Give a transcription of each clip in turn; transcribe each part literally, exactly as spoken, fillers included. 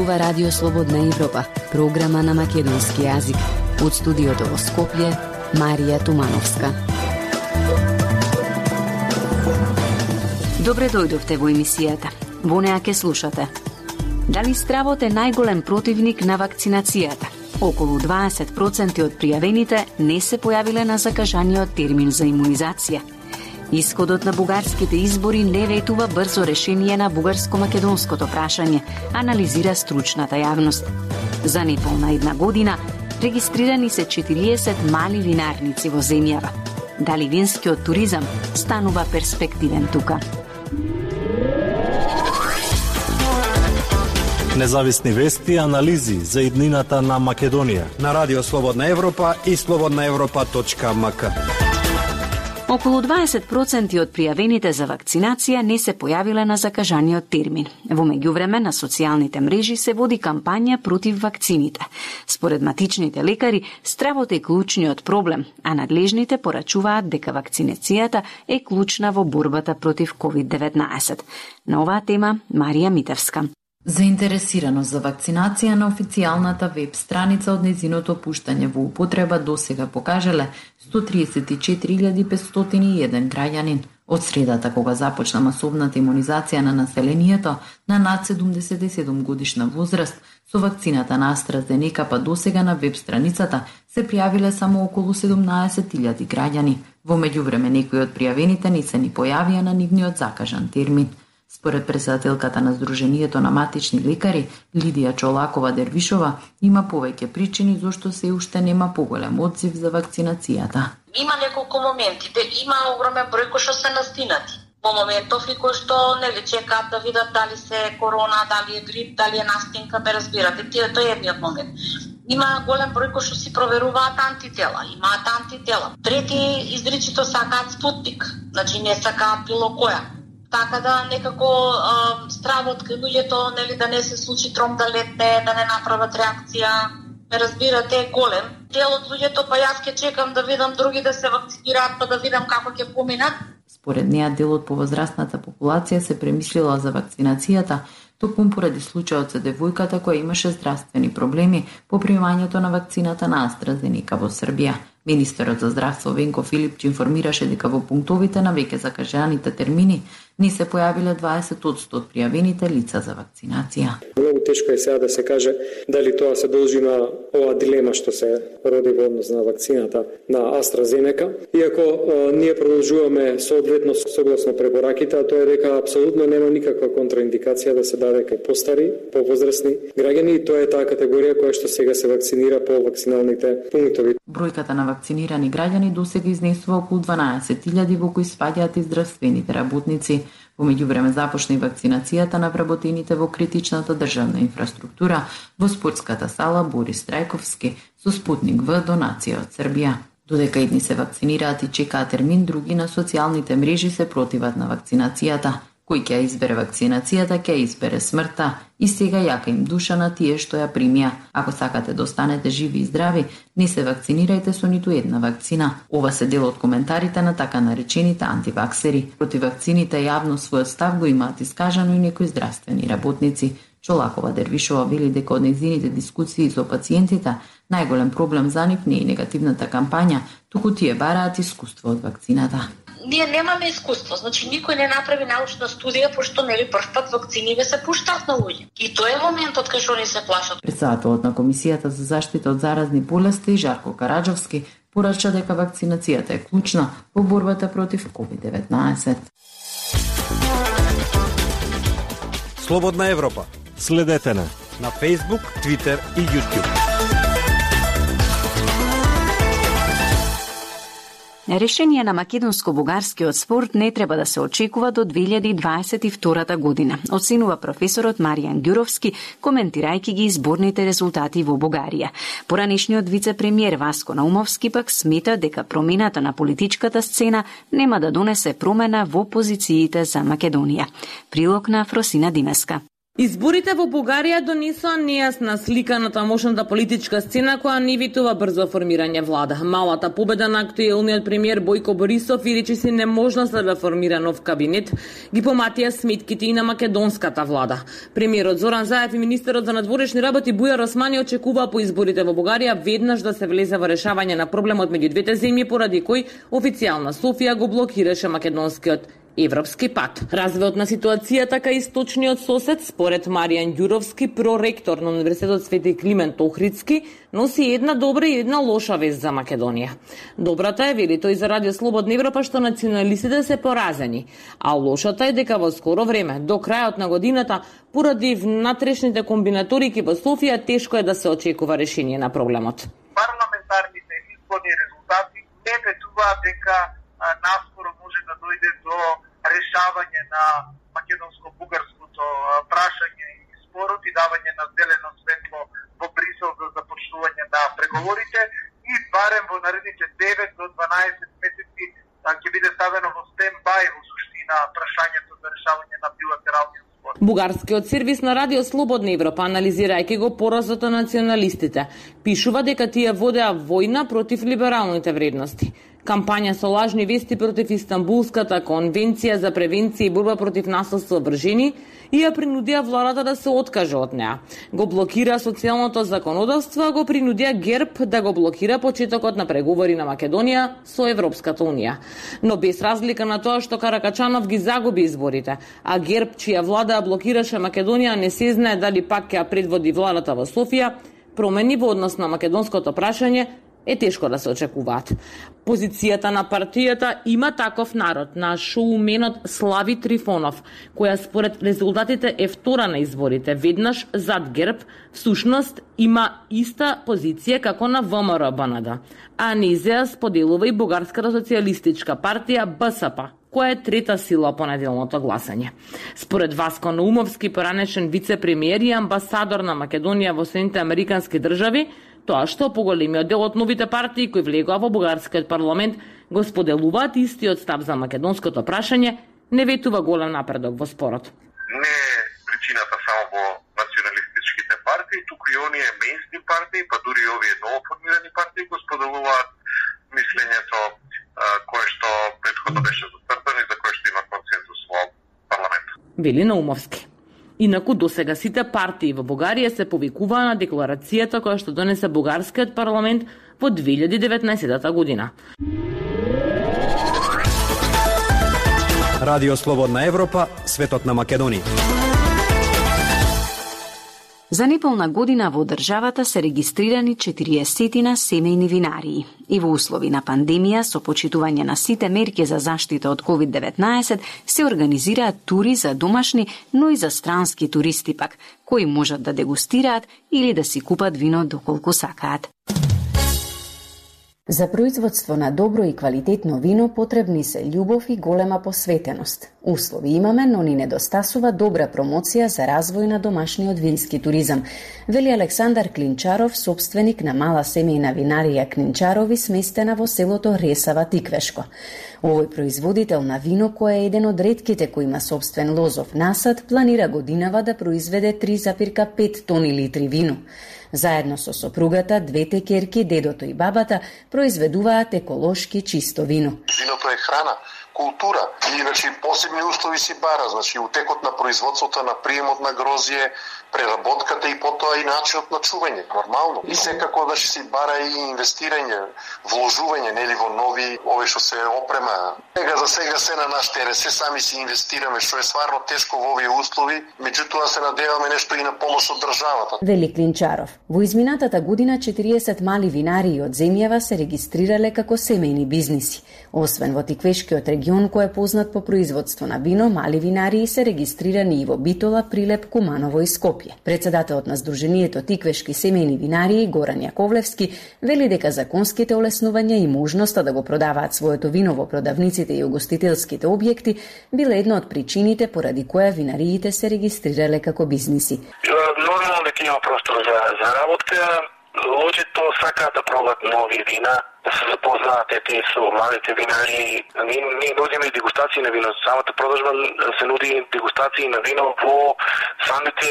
зборува Радио Слободна Европа, програма на македонски јазик. Од студиото во Скопје, Марија Тумановска. Добре дојдовте во емисијата. Во неа ке слушате. Дали стравот е најголем противник на вакцинацијата? Околу дваесет проценти од пријавените не се појавиле на закажаниот термин за имунизација. Исходот на бугарските избори не ветува брзо решение на бугарско-македонското прашање, анализира стручната јавност. За неполна една година регистрирани се четириесет мали винарници во земјава. Дали винскиот туризам станува перспективен тука? Независни вести и анализи за иднината на Македонија на Радио Слободна Европа и слободна европа точка ем ка. Околу дваесет проценти од пријавените за вакцинација не се појавиле на закажаниот термин. Во меѓувреме на социјалните мрежи се води кампања против вакцините. Според матичните лекари, стравот е клучниот проблем, а надлежните порачуваат дека вакцинацијата е клучна во борбата против ковид деветнаесет. На оваа тема Марија Митевска. Заинтересираност за вакцинација на официјалната веб страница од незиното пуштање во употреба досега покажале сто триесет и четири илјади петстотини и еден граѓанин. Од средата кога започна масовната имунизација на населението на над седумдесет и седум годишна возраст, со вакцината на AstraZeneca па досега на веб страницата се пријавиле само околу седумнаесет илјади граѓани. Во меѓувреме некои од пријавените не се ни појавија на нивниот закажан термин. Според председателката на Сдруженијето на матични лекари, Лидија Чолакова-Дервишова, има повеќе причини зошто се уште нема поголем одзив за вакцинацијата. Има неколку моменти, де има огромен број кои што се настинати. Во моментов и кои што нели чекаат да видат дали се корона, дали е грип, дали е настинка, ме разбирате. Тие тој е едниот момент. Има голем број кои што си проверуваат антитела, имаат антитела. Трети изричито сакаат спутник, значи не сакаат било која. Така да некако а, стравот кај луѓето, нели да не се случи тром да летне, да не направат реакција, ме разбирате, е голем. Дел од луѓето, па јас ке чекам да видам други да се вакцинираат, па да видам како ќе поминат. Според неа, дел од повозрастната популација се премислила за вакцинацијата, токму поради случајот со девојката која имаше здравствени проблеми по примањето на вакцината на AstraZeneca во Србија. Министерот за здравство Венко Филипч информираше дека во пунктовите на веќе закажаните термини не се појавиле дваесет одсто од пријавените лица за вакцинација. Многу тешко е сега да се каже дали тоа се должи на оваа дилема што се роди во однос на вакцината на AstraZeneca. Иако а, ние продолжуваме соодветно согласно препораките, а тоа е дека апсолутно нема никаква контраиндикација да се даде кај постари, повозрастни граѓани, и тоа е таа категорија која што сега се вакцинира по вакциналните пунктови. Бројката на вакцинирани граѓани досега изнесува околу дванаесет илјади, во кои спаѓаат и здравствените работници. Во меѓувреме започна и вакцинацијата на вработените во критичната државна инфраструктура во спортската сала Борис Трајковски со Спутник В донација од Србија. Додека едни се вакцинираат и чекаат термин, други на социјалните мрежи се противат на вакцинацијата. Кој ќе избере вакцинацијата, ќе избере смртта, и сега јака им душа на тие што ја примија. Ако сакате да останете живи и здрави, не се вакцинирајте со ниту една вакцина. Ова се дел од коментарите на така наречените антиваксери. Против вакцините јавно својот став го имаат искажано и некои здравствени работници. Чолакова-Дервишова вели дека од нејзините дискусии со пациентите најголем проблем за нив не е негативната кампања, туку тие бараат искуство од вакцината. Ние немаме искуство, значи никој не направи научна студија, пошто нели прв пат вакциниве се пуштаат на луѓе. И тоа е моментот кај што ни се плашат. Председателот на Комисијата за заштита од заразни болести Жарко Караџовски порача дека вакцинацијата е клучна во борбата против ковид деветнаесет. Слободна Европа. Следете на на Facebook, Twitter и YouTube. Решение на македонско-бугарскиот спорт не треба да се очекува до две илјади дваесет и втора година, оценува професорот Маријан Ѓуровски, коментирајќи ги изборните резултати во Бугарија. Поранешниот вице-премиер Васко Наумовски пак смета дека промената на политичката сцена нема да донесе промена во позициите за Македонија. Прилог на Фросина Димеска. Изборите во Бугарија донесоа нејасна слика на тамошната политичка сцена која не ветува брзо формирање влада. Малата победа на актуелниот премиер Бојко Борисов и речиси неможноста да формира нов кабинет ги поматија сметките и на македонската влада. Премиерот Зоран Заев и министерот за надворешни работи Бујар Османи очекуваа по изборите во Бугарија веднаш да се влезе во решавање на проблемот меѓу двете земји, поради кој официјална Софија го блокираше македонскиот европски пат. Развојот на ситуацијата кај источниот сосед, според Маријан Ѓуровски, проректор на Универзитетот Свети Климент Охридски, носи една добра и една лоша вест за Македонија. Добрата е, вели тој за Радио Слободна Европа, што националистите се поразени, а лошата е дека во скоро време, до крајот на годината, поради внатрешните комбинаторики во Софија, тешко е да се очекува решение на проблемот. Парламентарните изборни резултати не ветуваат дека наскоро може да дојде до решавање на македонско-бугарското прашање и спорот и давање на зелено светло во Брисел за започнување на преговорите и барем во наредните девет до дванаесет месеци ќе биде ставено во стендбај во суштина прашањето за решавање на билатералниот спор. Бугарскиот сервис на Радио Слободна Европа, анализирајќи го поразот на националистите, пишува дека тие водеа војна против либералните вредности. Кампања со лажни вести против Истанбулската конвенција за превенција и борба против насилство врз жени и ја принудија владата да се откаже од неа. Го блокира социјалното законодавство, а го принудија ГЕРБ да го блокира почетокот на преговори на Македонија со Европската унија. Но без разлика на тоа што Каракачанов ги загуби изборите, а ГЕРБ, чија влада блокираше Македонија, не се знае дали пак ќе предводи владата во Софија, промени во однос на македонското прашање е тешко да се очекуваат. Позицијата на партијата Има таков народ на шоуменот Слави Трифонов, која според резултатите е втора на изборите, веднаш зад ГЕРБ, всушност има иста позиција како на ВМРО-БНД, а низеа споделува и Бугарската социјалистичка партија Б С П, која е трета сила по неделното гласање. Според Васко Наумовски, поранешен вице-премиер и амбасадор на Македонија во Соединетите Американски држави, тоа што поголемиот дел од новите партии кои влегоа во бугарскиот парламент го споделуваат истиот став за македонското прашање, не ветува голем напредок во спорот. Не е причината само во националистичките партии, туку и оние мејнстрим партии, па дури и овие новоформирани партии го споделуваат мислењето кое што претходно беше зацртано и за кое што има консензус во парламентот. Вели Наумовски. Инаку досега сите партии во Бугарија се повикуваа на декларацијата која што донесе бугарскиот парламент во две илјади и деветнаесетта година. Радио Слободна Европа, светот на Македонија. За неполна година во државата се регистрирани четириесет семејни винарии. И во услови на пандемија, со почитување на сите мерки за заштита од ковид деветнаесет, се организираат тури за домашни, но и за странски туристи пак, кои можат да дегустираат или да си купат вино доколку сакаат. За производство на добро и квалитетно вино потребни се љубов и голема посветеност. Услови имаме, но ни недостасува добра промоција за развој на домашниот вински туризам, вели Александар Клинчаров, собственик на мала семејна винарија Клинчарови, сместена во селото Ресава, Тиквешко. Овој производител на вино, кој е еден од ретките кој има собствен лозов насад, планира годинава да произведе три запирка пет тони литри вино. Заедно со сопругата, двете ќерки, дедото и бабата, произведуваат еколошки чисто вино. Виното е храна, култура и значи посебни услови си бара, значи утекот на производството, на приемот на грозје, преработката и потоа и начинот на чување, нормално. И секако да си бара и инвестирање, вложување, нели во нови, овие што се опрема. Сега за сега се на наш терен, се сами си инвестираме, што е стварно тешко во овие услови, меѓутоа се надеваме нешто и на помош од државата. Вели Клинчаров. Во изминатата година четириесет мали винарии од земјава се регистрирале како семејни бизниси. Освен во Тиквешкиот регион, кој е познат по производство на вино, мали винарии се регистрирани и во Битола, Прилеп, Куманово и Скопје. Председателот на Сдруженијето Тиквешки семејни винарии Горан Јаковлевски вели дека законските олеснувања и можноста да го продаваат своето вино во продавниците и угостителските објекти биле една од причините поради која винариите се регистрирале како бизниси. Нормално дека има простор за, за работа. Луѓето сакаат да пробат нови вина, да се запознаат ете со младите винари. Ние, ние нудиме дегустации на вино. Самата продажба се нуди дегустации на вино во самите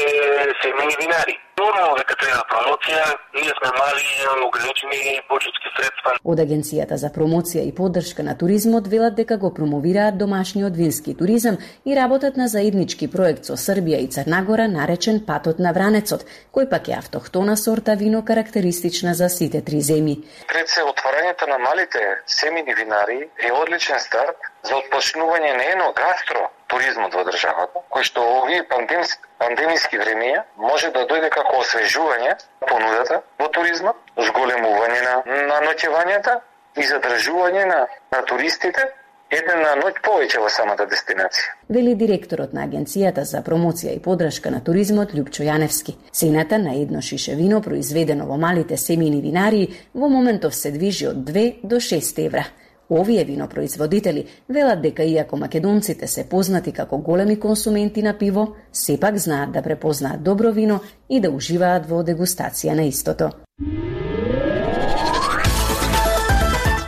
семејни винари. Нормално дека треба промоција, ние сме мали, имаме ограничени буџетски средства. Од Агенцијата за промоција и поддршка на туризмот велат дека го промовираат домашниот вински туризам и работат на заеднички проект со Србија и Црна Гора наречен Патот на Вранецот, кој пак е автохтона сорта вино карактеристична за сите три земји. Пред се отварањето на малите семејни винари е одличен старт за отпочнување на едно гастро туризмот во државата, кој што овие пандемски, пандемиски времења може да дојде како освежување понудата во туризмот, зголемување на, на ноќевањата и задржување на, на туристите еден на ноќ повеќе во самата дестинација. Вели директорот на Агенцијата за промоција и поддршка на туризмот Љупчо Јаневски. Цената на едно шише вино произведено во малите семејни винарии во моментов се движи од две до шест евра. Овие винопроизводители велат дека иако македонците се познати како големи консументи на пиво, сепак знаат да препознаат добро вино и да уживаат во дегустација на истото.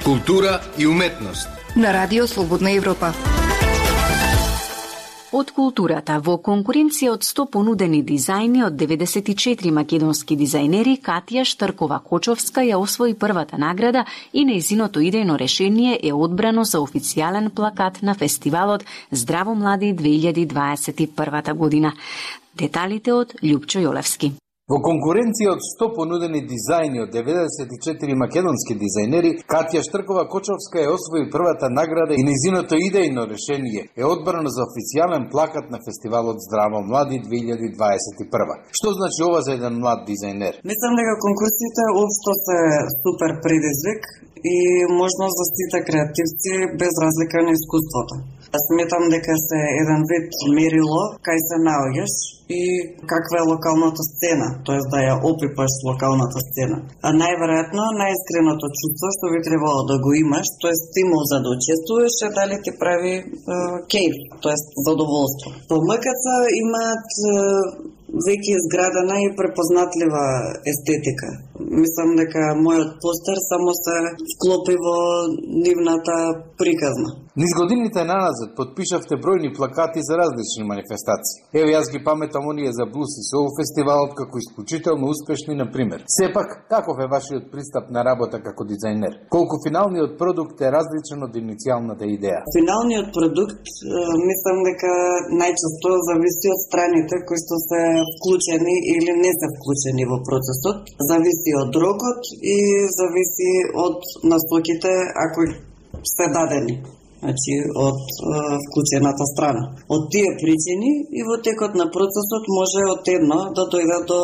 Култура и уметност на Радио Слободна Европа. Од културата, во конкуренција од сто понудени дизајни од деветдесет и четири македонски дизајнери, Катја Штаркова-Кочовска ја освои првата награда и нејзиното идејно решение е одбрано за официјален плакат на фестивалот Здраво млади две илјади дваесет и прва година. Деталите од Љупчо Јолевски. Во конкуренција од сто понудени дизајни од деветдесет и четири македонски дизајнери, Катја Штаркова-Кочовска ја освои првата награда и нејзиното идејно решение е одбрано за официјален плакат на фестивалот Здраво млади две илјади дваесет и прва. Што значи ова за еден млад дизајнер? Мислам дека конкурсите општо се супер предизвик и можност за сите креативци без разлика на искуството. Сметам дека се еден вид мерило кај се наоѓаш и каква е локалната сцена, тоест да ја опипаш локалната сцена. А најверојатно, најискреното чувство што би требало да го имаш, тоест стимул за да учествуваш, е дали ти прави е, кејф, тоест задоволство. По МКЦ имаат е, веќе изградена и препознатлива естетика. Мислам дека мојот постер само се вклопи во нивната приказна. Низ годините наназад подпишавте бројни плакати за различни манифестации. Ево јас ги паметам оние за блуз и соул фестивалот како исклучително успешни, на пример. Сепак, каков е вашиот пристап на работа како дизајнер? Колку финалниот продукт е различен од иницијалната идеја? Финалниот продукт, мислам дека најчесто зависи од страните кои што се вклучени или не се вклучени во процесот, зависи од рокот и зависи од насоките ако се дадени. Значи, од е, вклучената страна. Од тие причини и во текот на процесот може од едно да дојде до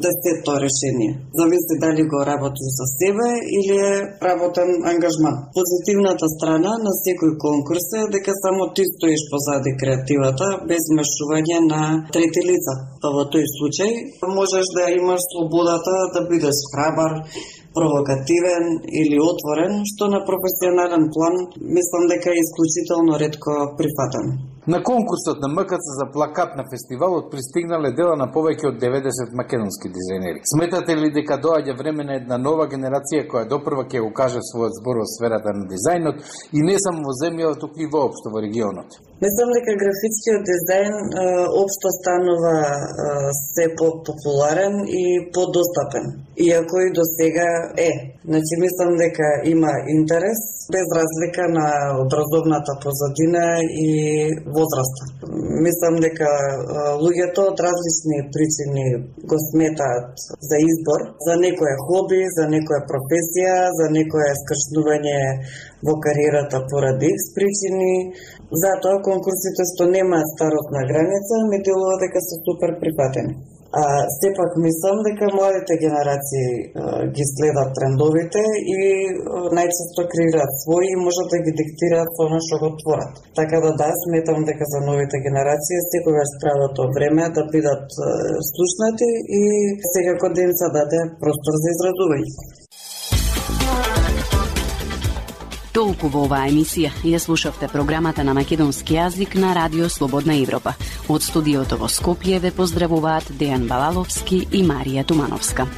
десетто решение. Зависи дали го работиш за себе или е работен ангажман. Позитивната страна на секој конкурс е дека само ти стоиш позади креативата, без мешување на трети лица. Па во тој случај можеш да имаш слободата да бидеш храбар, провокативен или отворен, што на професионален план мислам дека е исклучително ретко прифатен. На конкурсот на МКЦ за плакат на фестивалот пристигнале дела на повеќе од деветдесет македонски дизајнери. Сметате ли дека доаѓа време на една нова генерација која допрва ќе го каже својот збор во сферата на дизајнот и не само во земјава, туку и воопшто во регионот? Мислам дека графичкиот дизајн е, општо станува е, се по-популарен и подостапен. Иако и до сега е. Значи, мислам дека има интерес, без разлика на образовната позадина и возраста. Мислам дека луѓето од различни причини го сметаат за избор, за некоја хоби, за некоја професија, за некоја скршнување во кариерата поради икс причини. Затоа конкурсите што немаат старосна граница ми делува дека се супер прифатени. А сепак мислам дека младите генерации а, ги следат трендовите и а, најчесто креираат своји и можат да ги диктираат со она што го творат. Така да да, сметам дека за новите генерации секогаш правото време да бидат а, слушнати и секако да им се даде простор за изразување. Толку во оваа емисија. Ја слушавте програмата на македонски јазик на Радио Слободна Европа. Од студиото во Скопје ве поздравуваат Дејан Балаловски и Марија Тумановска.